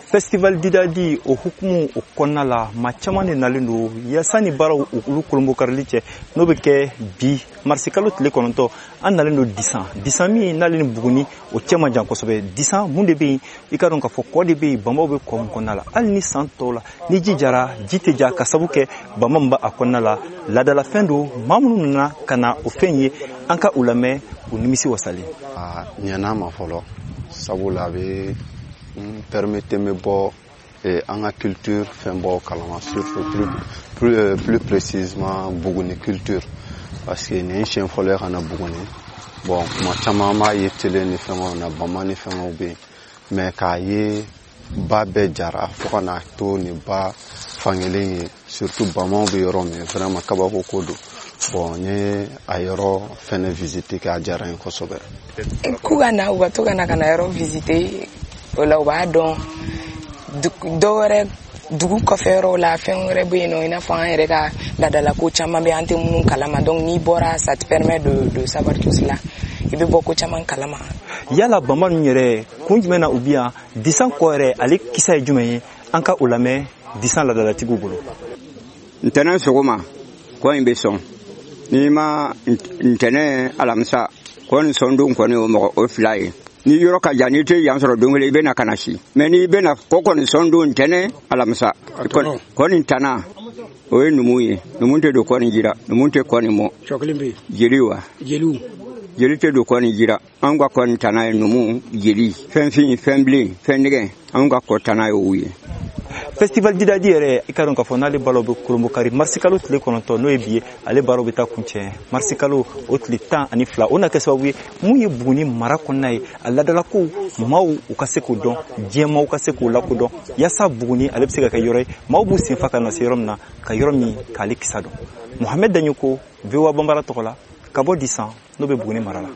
Festival Didadi o hukumu o kɔnɔna la, maa caman de nalen don yaasa ni baaraw olu kolonbokarili cɛ, n'o bɛ kɛ bi marisikalo tile 9. An nalen don Disan, Disan min n'ale ni Buguni o cɛ man jan kosɛbɛ. Disan, mun de bɛ yen? I ka dɔn k'a fɔ kɔ de bɛ yen, bamaw bɛ kɔ min kɔnɔna la. Hali ni san tɔw la ni ji jara, ji tɛ ja ka sabu kɛ bama min b'a kɔnɔna la. Laadalafɛn don. Maa minnu nana ka na o fɛn ye, an ka u lamɛn, u nimisi wasalen. A ɲɛna ma fɔlɔ, sabula a bɛ n permettre n bɛ bɔ an ka culture fɛnbaw kalama, surtout plus précisément Buguni culture, parce que nin ye siɲɛ fɔlɔ ye ka na Buguni. Bon, kuma caman an b'a ye télé ni fɛngɛw na, bama ni fɛngɛw bɛ yen, mais k'a ye ba bɛɛ jara fo ka n'a to nin ba fankelen ye, surtout bamaw bɛ yɔrɔ min, vraiment kabako ko don. Bon, n ye a yɔrɔ fɛnɛ visite kɛ, a diyara n ye kosɛbɛ. K'u ka na, u ka to ka na ka na yɔrɔ visiter. O la u b'a dɔn dɔw wɛrɛ dugu kɔfɛ yɔrɔw la, fɛn wɛrɛ bɛ yen nɔ, i n'a fɔ an yɛrɛ ka laadalako caman bɛ, an tɛ minnu kalama. Donc n'i bɔra, ça te permet de savoir tout cela, i bɛ bɔ ko caman kalama. Yala bama ninnu yɛrɛ, kun jumɛn na u bi yan Disan kɔ yɛrɛ, ale kisa ye jumɛn ye? An ka o lamɛn Disan laadalatigiw bolo. Ntɛnɛn sɔgɔma, kɔ in bɛ sɔn. N'i ma ntɛnɛn, alamisa, kɔ nin sɔn don kɔni, o mɔgɔ o fila ye. Ni yɔrɔ ka jan, n'i tɛ yan sɔrɔ don kelen, i bɛ na ka na si. Mɛ n'i bɛna kɔ kɔni sɔn don, ntɛnɛn, alamisa, kɔ nin tana o ye numu ye. Numu tɛ don kɔ nin jira, numu tɛ kɔ nin mɔ. Jeli wa jeli tɛ don kɔ nin jira. Anw ka kɔ nin tana ye numu, jeli, fɛn fin, fɛn bilen, fɛn nɛgɛ. Anw ka kɔ tana ye o ye. Festival Didadi yɛrɛ, i ka dɔn k'a fɔ n'ale balo bɛ kolonbokari marisikalo tile 9, n'o ye bi ye, ale baaraw bɛ taa kuncɛ marisikalo o tile 12. O na kɛ sababu ye mun ye Buguni mara kɔnɔna ye, a ladalakow, maaw u ka se k'o dɔn, diɲɛ maaw ka se k'o lakodɔn, yaasa Buguni ale bɛ se ka kɛ yɔrɔ ye maaw b'u senfa ka na se yɔrɔ min na, ka yɔrɔ min k'ale kisa dɔn. Mohamɛd Daɲoko, VOA Banbara tɔgɔ la, ka bɔ Disan, n'o bɛ Buguni mara la.